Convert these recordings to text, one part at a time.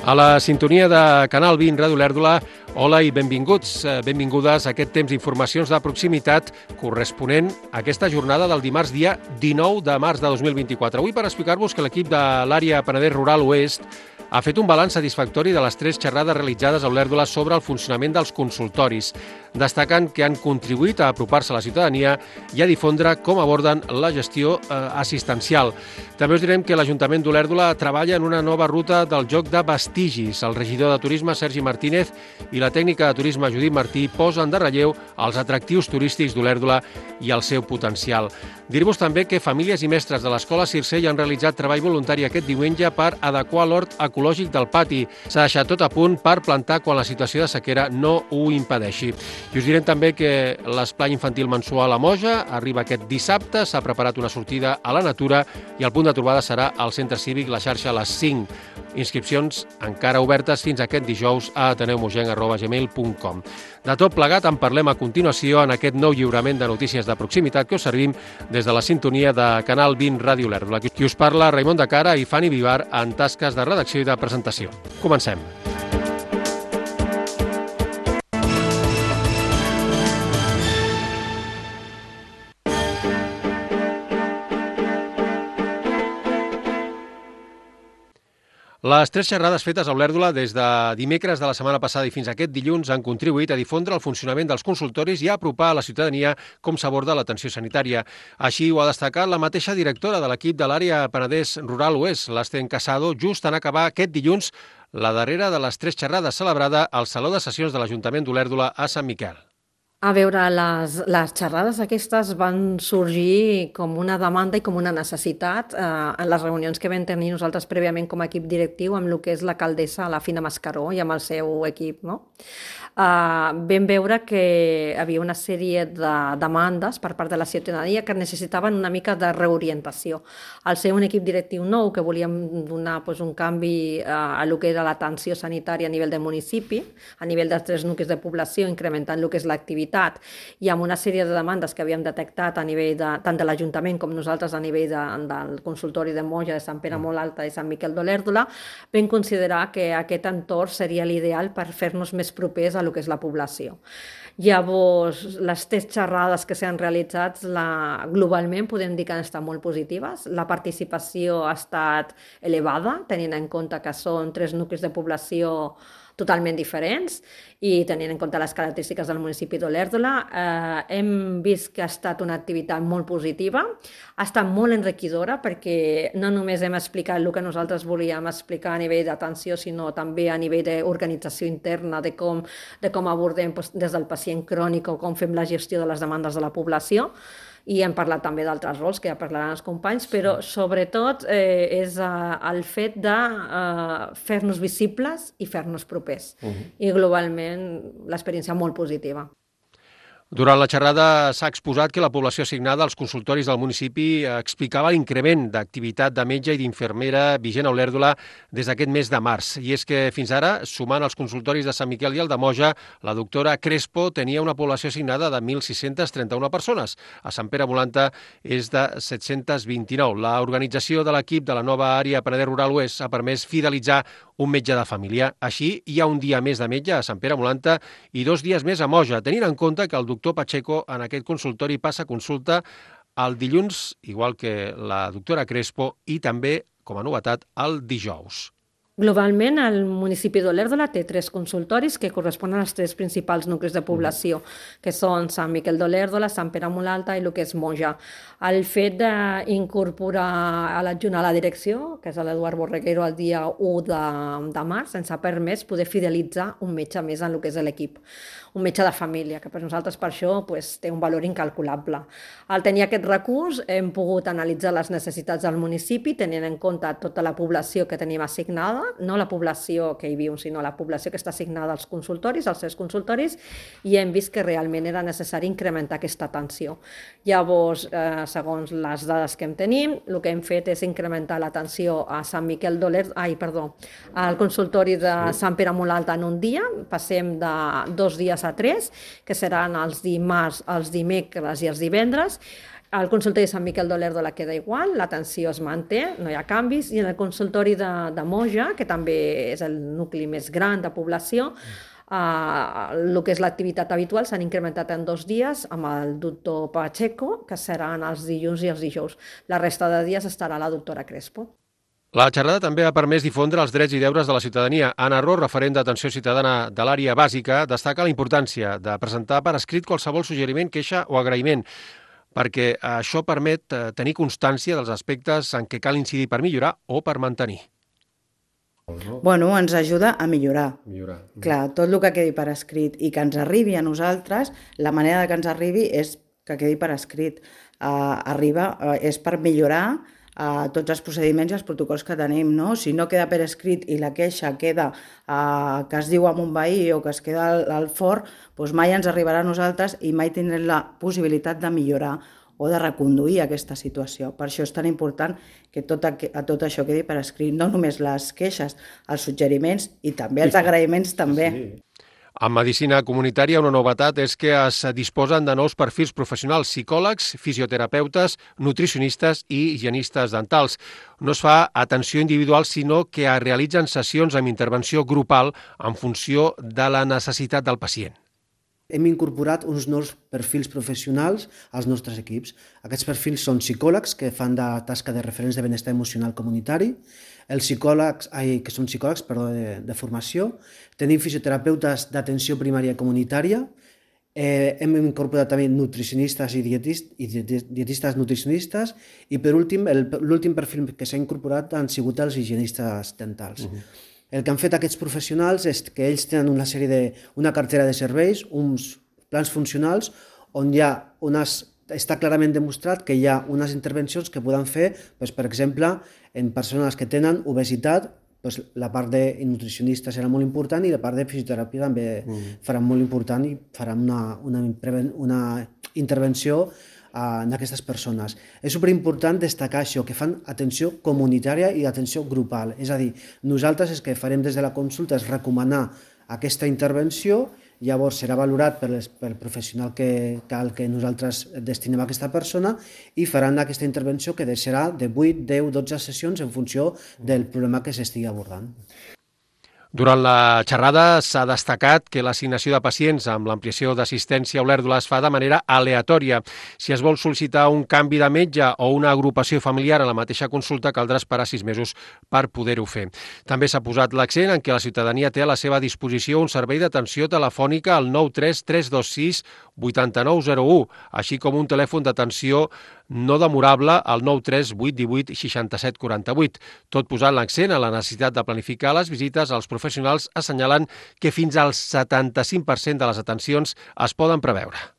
A la sintonia de Canal 20 Ràdio Olèrdola, hola i benvinguts, benvingudes a aquest temps d'informacions de proximitat corresponent a aquesta jornada del dimarts dia 19 de març de 2024. Avui per explicar-vos que l'equip de l'àrea Penedès Rural Oest ha fet un balanç satisfactori de les 3 xerrades realitzades a Olèrdola sobre el funcionament dels consultoris, destacant que han contribuït a apropar-se a la ciutadania i a difondre com aborden la gestió assistencial. També us direm que l'Ajuntament d'Olèrdola treballa en una nova ruta del joc de vestigis. El regidor de Turisme, Sergi Martínez, i la tècnica de turisme, Judit Martí, posen de relleu els atractius turístics d'Olèrdola i el seu potencial. Dir-vos també que famílies i mestres de l'Escola Circell han realitzat treball voluntari aquest diumenge per adequar l'hort ecològic del pati. S'ha deixat tot a punt per plantar quan la situació de sequera no ho impedeixi. I us direm també que l'esplai infantil mensual a Moja arriba aquest dissabte, s'ha preparat una sortida a la natura i el punt de trobada serà al Centre Cívic La Xarxa a les 5. Inscripcions encara obertes fins aquest dijous a ateneumogenc@gmail.com. De tot plegat en parlem a continuació en aquest nou lliurament de notícies de proximitat que us servim des de la sintonia de Canal 20 Ràdio Olèrdola. Qui us parla, Raimon de Cara i Fanny Vivar en tasques de redacció i de presentació. Comencem. Les 3 xerrades fetes a Olèrdola des de dimecres de la setmana passada i fins aquest dilluns han contribuït a difondre el funcionament dels consultoris i a apropar a la ciutadania com s'aborda l'atenció sanitària. Així ho ha destacat la mateixa directora de l'equip de l'àrea Penedès Rural Oest, l'Sten Casado, just en acabar aquest dilluns la darrera de les 3 xerrades celebrada al Saló de Sessions de l'Ajuntament d'Olèrdola a Sant Miquel. A veure, les xerrades aquestes van sorgir com una demanda i com una necessitat en les reunions que vam tenir nosaltres prèviament com a equip directiu amb el que és l'alcaldessa, la Fina Mascaró, i amb el seu equip, no? Vam veure que hi havia una sèrie de demandes per part de la ciutadania que necessitaven una mica de reorientació. Al ser un equip directiu nou que volíem donar un canvi a el que era l'atenció sanitària a nivell del municipi, a nivell dels 3 nuclis de població, incrementant el que és l'activitat, i amb una sèrie de demandes que havíem detectat a nivell tant de l'Ajuntament com nosaltres a nivell del consultori de Moja, de Sant Pere Molt Alta i Sant Miquel d'Olèrdola, vam considerar que aquest entorn seria l'ideal per fer-nos més propers a que és la població. Llavors, les 3 xerrades que s'han realitzat globalment podem dir que han estat molt positives. La participació ha estat elevada, tenint en compte que són 3 nuclis de població totalment diferents i tenint en compte les característiques del municipi d'Olèrdola. Hem vist que ha estat una activitat molt positiva, ha estat molt enriquidora perquè no només hem explicat el que nosaltres volíem explicar a nivell d'atenció, sinó també a nivell d'organització interna, de com abordem des del pacient crònic o com fem la gestió de les demandes de la població. I hem parlat també d'altres rols que ja parlaran els companys, però sobretot és el fet de fer-nos visibles i fer-nos propers. I globalment l'experiència molt positiva. Durant la xerrada s'ha exposat que la població assignada als consultoris del municipi explicava l'increment d'activitat de metge i d'infermera vigent a Olèrdola des d'aquest mes de març. I és que fins ara, sumant els consultoris de Sant Miquel i el de Moja, la doctora Crespo tenia una població assignada de 1.631 persones. A Sant Pere Molt Alta és de 729. L'organització de l'equip de la nova àrea Penedès Rural Oest ha permès fidelitzar un metge de família. Així, hi ha un dia més de metge a Sant Pere Molt Alta i 2 dies més a Moja, tenint en compte que el doctor Pacheco en aquest consultori passa consulta el dilluns, igual que la doctora Crespo, i també, com a novetat, el dijous. Globalment, el municipi d'Olèrdola té 3 consultoris que corresponen als 3 principals nuclis de població, que són Sant Miquel d'Olèrdola, Sant Pere Molt Alta i el que és Moja. El fet d'incorporar a l'adjunt a la direcció, que és l'Eduard Borreguero, el dia 1 de març, ens ha permès poder fidelitzar un metge més en el que és l'equip. Un metge de família, que per nosaltres per això té un valor incalculable. Al tenir aquest recurs hem pogut analitzar les necessitats del municipi, tenint en compte tota la població que tenim assignada, no la població que hi viu, sinó la població que està assignada als consultoris, als 3 consultoris, i hem vist que realment era necessari incrementar aquesta atenció. Llavors, segons les dades que tenim, el que hem fet és incrementar l'atenció a Sant Miquel al consultori de Sant Pere Molt Alta en un dia, passem de 2 dies a 3, que seran els dimarts, els dimecres i els divendres, El consultori de Sant Miquel d'Olèrdola queda igual, l'atenció es manté, no hi ha canvis, i en el consultori de Moja, que també és el nucli més gran de població, el que és l'activitat habitual s'han incrementat en 2 dies amb el doctor Pacheco, que seran els dilluns i els dijous. La resta de dies estarà la doctora Crespo. La xerrada també ha permès difondre els drets i deures de la ciutadania. Anna Ro, referent d'atenció ciutadana de l'àrea bàsica, destaca la importància de presentar per escrit qualsevol suggeriment, queixa o agraïment, perquè això permet tenir constància dels aspectes en què cal incidir per millorar o per mantenir. Bueno, ens ajuda a millorar. Clar, tot el que quedi per escrit i que ens arribi a nosaltres, la manera que ens arribi és que quedi per escrit. És per millorar tots els procediments i els protocols que tenim, no? Si no queda per escrit i la queixa queda que es diu amb un veí o que es queda al forn, doncs mai ens arribarà a nosaltres i mai tindrem la possibilitat de millorar o de reconduir aquesta situació. Per això és tan important que tot això quedi per escrit, no només les queixes, els suggeriments i també els agraïments també. En medicina comunitària, una novetat és que es disposen de nous perfils professionals, psicòlegs, fisioterapeutes, nutricionistes i higienistes dentals. No es fa atenció individual, sinó que es realitzen sessions amb intervenció grupal en funció de la necessitat del pacient. Hem incorporat uns nous perfils professionals als nostres equips. Aquests perfils són psicòlegs, que fan de tasca de referents de benestar emocional comunitari, els psicòlegs, que són psicòlegs de formació, tenim fisioterapeutes d'atenció primària comunitària, hem incorporat també nutricionistes i dietistes nutricionistes, i per últim, l'últim perfil que s'ha incorporat han sigut els higienistes dentals. El que han fet aquests professionals és que ells tenen una cartera de serveis, uns plans funcionals, on està clarament demostrat que hi ha unes intervencions que poden fer, per exemple, en persones que tenen obesitat, la part de nutricionista serà molt important i la part de fisioteràpia també farà molt important i farà una intervenció en aquestes persones. És superimportant destacar això, que fan atenció comunitària i atenció grupal. És a dir, nosaltres el que farem des de la consulta és recomanar aquesta intervenció, llavors serà valorat pel professional al que nosaltres destinem a aquesta persona i faran aquesta intervenció que serà de 8, 10, 12 sessions en funció del problema que s'estigui abordant. Durant la xerrada s'ha destacat que l'assignació de pacients amb l'ampliació d'assistència a Olèrdola es fa de manera aleatòria. Si es vol sol·licitar un canvi de metge o una agrupació familiar a la mateixa consulta, caldrà esperar 6 mesos per poder-ho fer. També s'ha posat l'accent en què la ciutadania té a la seva disposició un servei d'atenció telefònica al 93 326 8901, així com un telèfon d'atenció no demorable al 93 818 67 48, tot posant l'accent a la necessitat de planificar les visites als professionals, assenyalant que fins al 75% de les atencions es poden preveure.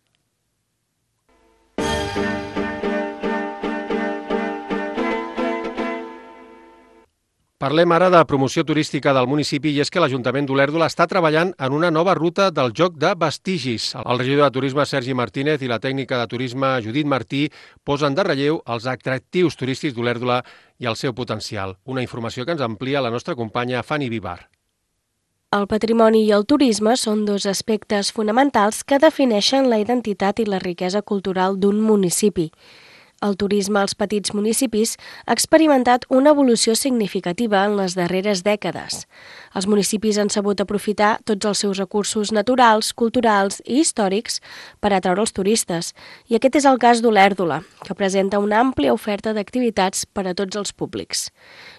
Parlem ara de promoció turística del municipi i és que l'Ajuntament d'Olèrdola està treballant en una nova ruta del joc de vestigis. El regidor de Turisme Sergi Martínez i la tècnica de turisme Judit Martí posen de relleu els atractius turístics d'Olèrdola i el seu potencial. Una informació que ens amplia la nostra companya Fanny Vivar. El patrimoni i el turisme són 2 aspectes fonamentals que defineixen la identitat i la riquesa cultural d'un municipi. El turisme als petits municipis ha experimentat una evolució significativa en les darreres dècades. Els municipis han sabut aprofitar tots els seus recursos naturals, culturals i històrics per atraure els turistes, i aquest és el cas d'Olèrdola, que presenta una àmplia oferta d'activitats per a tots els públics.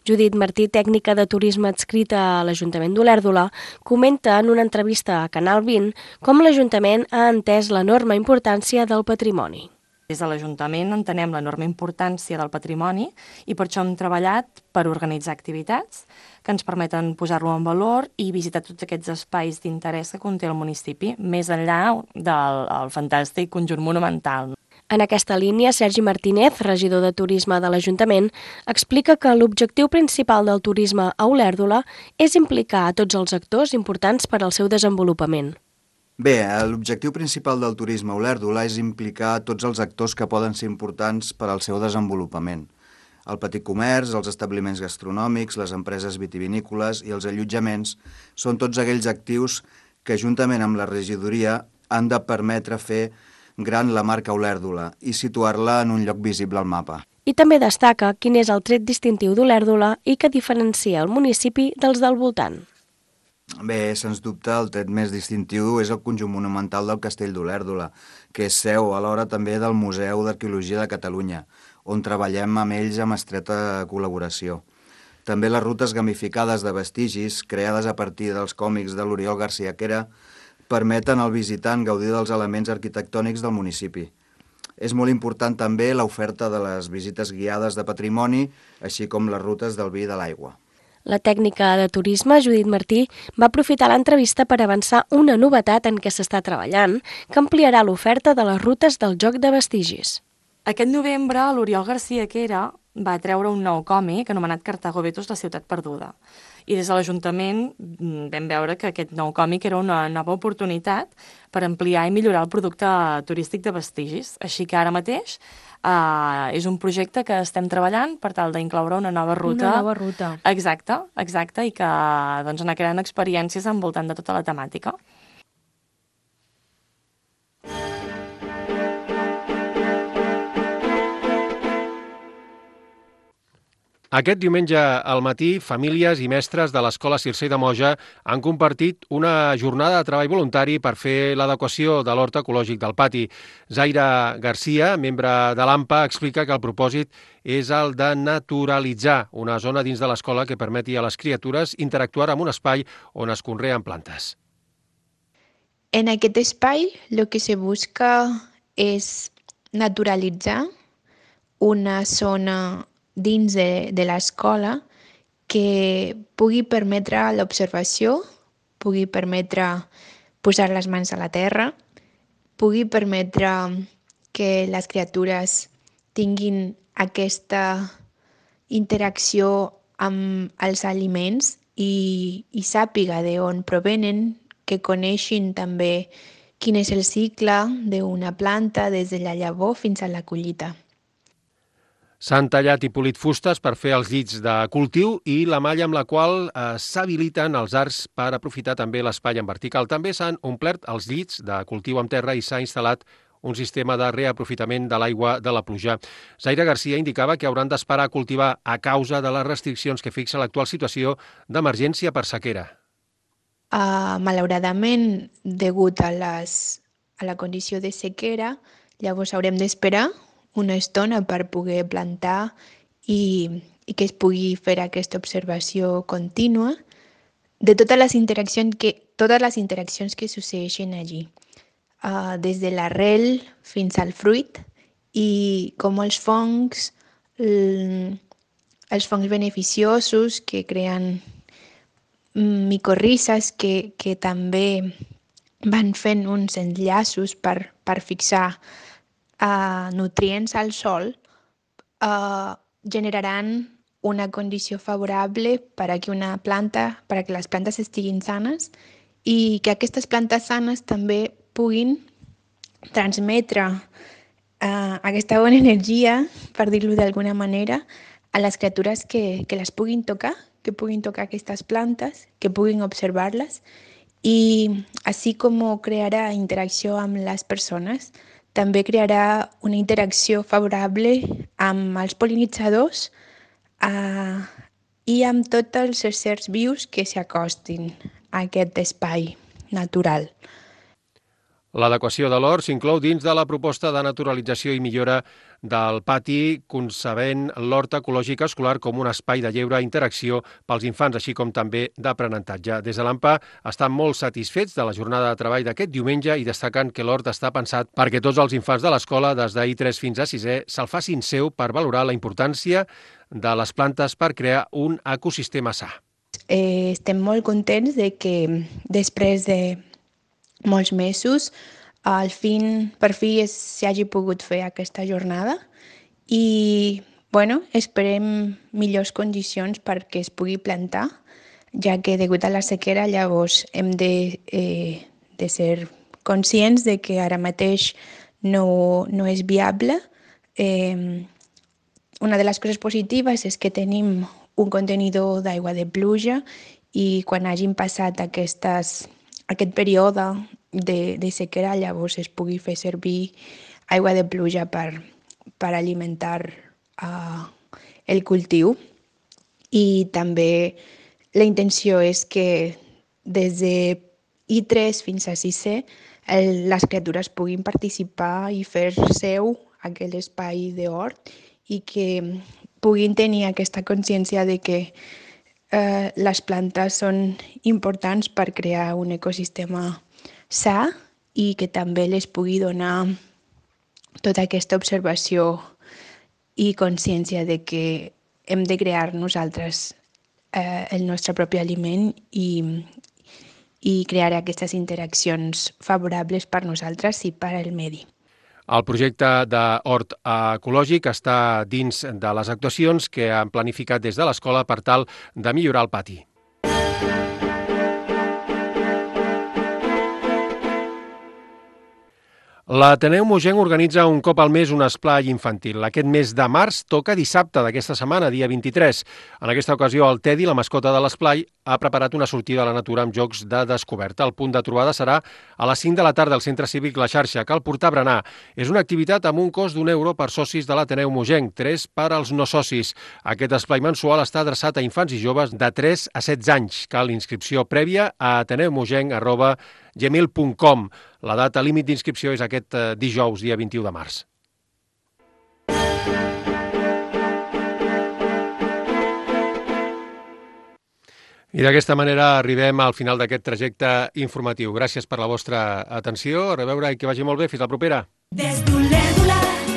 Judit Martí, tècnica de turisme adscrita a l'Ajuntament d'Olèrdola, comenta en una entrevista a Canal 20 com l'Ajuntament ha entès l'enorme importància del patrimoni. Des de l'Ajuntament entenem l'enorme importància del patrimoni i per això hem treballat per organitzar activitats que ens permeten posar-lo en valor i visitar tots aquests espais d'interès que conté el municipi, més enllà del fantàstic conjunt monumental. En aquesta línia, Sergi Martínez, regidor de Turisme de l'Ajuntament, explica que l'objectiu principal del turisme a Olèrdola és implicar a tots els actors importants per al seu desenvolupament. Bé, l'objectiu principal del turisme a Olèrdola és implicar tots els actors que poden ser importants per al seu desenvolupament. El petit comerç, els establiments gastronòmics, les empreses vitivinícoles i els allotjaments són tots aquells actius que, juntament amb la regidoria, han de permetre fer gran la marca Olèrdola i situar-la en un lloc visible al mapa. I també destaca quin és el tret distintiu d'Olèrdola i que diferencia el municipi dels del voltant. Bé, sens dubte, el tret més distintiu és el conjunt monumental del Castell d'Olèrdola, que és seu alhora també del Museu d'Arqueologia de Catalunya, on treballem amb ells amb estreta col·laboració. També les rutes gamificades de vestigis, creades a partir dels còmics de l'Oriol García Quera, permeten al visitant gaudir dels elements arquitectònics del municipi. És molt important també l'oferta de les visites guiades de patrimoni, així com les rutes del vi i de l'aigua. La tècnica de turisme, Judit Martí, va aprofitar l'entrevista per avançar una novetat en què s'està treballant, que ampliarà l'oferta de les rutes del joc de vestigis. Aquest novembre, l'Oriol García Quera va treure un nou còmic anomenat Cartago Betos, la ciutat perduda. I des de l'Ajuntament vam veure que aquest nou còmic era una nova oportunitat per ampliar i millorar el producte turístic de vestigis. Així que ara mateix és un projecte que estem treballant per tal d'incloure una nova ruta. Una nova ruta. Exacte, i que doncs, anar creant experiències envoltant de tota la temàtica. Aquest diumenge al matí, famílies i mestres de l'Escola Circei de Moja han compartit una jornada de treball voluntari per fer l'adequació de l'hort ecològic del pati. Zaira Garcia, membre de l'AMPA, explica que el propòsit és el de naturalitzar una zona dins de l'escola que permeti a les criatures interactuar amb un espai on es conreen plantes. En aquest espai lo que se busca és naturalitzar una zona dins de l'escola que pugui permetre l'observació, pugui permetre posar les mans a la terra, pugui permetre que les criatures tinguin aquesta interacció amb els aliments i sàpiga d'on provenen, que coneixin també quin és el cicle d'una planta des de la llavor fins a la collita. S'han tallat i polit fustes per fer els llits de cultiu i la malla amb la qual s'habiliten els arcs per aprofitar també l'espai en vertical. També s'han omplert els llits de cultiu amb terra i s'ha instal·lat un sistema de reaprofitament de l'aigua de la pluja. Zaira Garcia indicava que hauran d'esperar a cultivar a causa de les restriccions que fixa l'actual situació d'emergència per sequera. Malauradament, degut a la condició de sequera, llavors haurem d'esperar una estona per poder plantar i que es pugui fer aquesta observació contínua de totes les interaccions que succeeixen allí, des de l'arrel fins al fruit i com els fongs beneficiosos que creen micorrizes que també van fent uns enllaços per fixar nutrients al sòl, generaran una condició favorable per a que les plantes estiguin sanes i que aquestes plantes sanes també puguin transmetre aquesta bona energia, per dir-ho d'alguna manera, a les criatures que les puguin tocar aquestes plantes, que puguin observar-les i així com crearà interacció amb les persones, també crearà una interacció favorable amb els pol·linitzadors i amb tots els éssers vius que s'acostin a aquest espai natural. L'adequació de l'hort s'inclou dins de la proposta de naturalització i millora del pati, concebent l'hort ecològic escolar com un espai de lleure interacció pels infants, així com també d'aprenentatge. Des de l'AMPA estan molt satisfets de la jornada de treball d'aquest diumenge i destaquen que l'hort està pensat perquè tots els infants de l'escola, des d'I3 fins a 6è, se'l facin seu per valorar la importància de les plantes per crear un ecosistema sa. Estem molt contents de que després de molts mesos, per fi s'hagi pogut fer aquesta jornada i esperem millors condicions perquè es pugui plantar, ja que degut a la sequera llavors hem de ser conscients de que ara mateix no és viable. Una de les coses positives és que tenim un contenidor d'aigua de pluja i quan hagin passat aquestes aquest període de sequera llavors es pugui fer servir aigua de pluja per alimentar el cultiu. I també la intenció és que des de I3 fins a 6è les criatures puguin participar i fer seu aquell espai d'hort i que puguin tenir aquesta consciència de que les plantes són importants per crear un ecosistema sa i que també les pugui donar tota aquesta observació i consciència de que hem de crear nosaltres el nostre propi aliment i crear aquestes interaccions favorables per nosaltres i per al medi. El projecte d'hort ecològic està dins de les actuacions que han planificat des de l'escola per tal de millorar el pati. L'Ateneu Mogenc organitza un cop al mes un esplai infantil. Aquest mes de març toca dissabte d'aquesta setmana, dia 23. En aquesta ocasió, el Teddy, la mascota de l'esplai, ha preparat una sortida a la natura amb jocs de descoberta. El punt de trobada serà a les 5 de la tarda al Centre Cívic La Xarxa. Cal portar berenar. És una activitat amb un cost d'1 € per socis de l'Ateneu Mogenc, 3 per als no socis. Aquest esplai mensual està adreçat a infants i joves de 3 a 16 anys. Cal inscripció prèvia a ateneumogenc@gmail.com. La data límit d'inscripció és aquest dijous, dia 21 de març. I d'aquesta manera arribem al final d'aquest trajecte informatiu. Gràcies per la vostra atenció. A reveure i que vagi molt bé. Fins la propera. Des d'Olèrdola.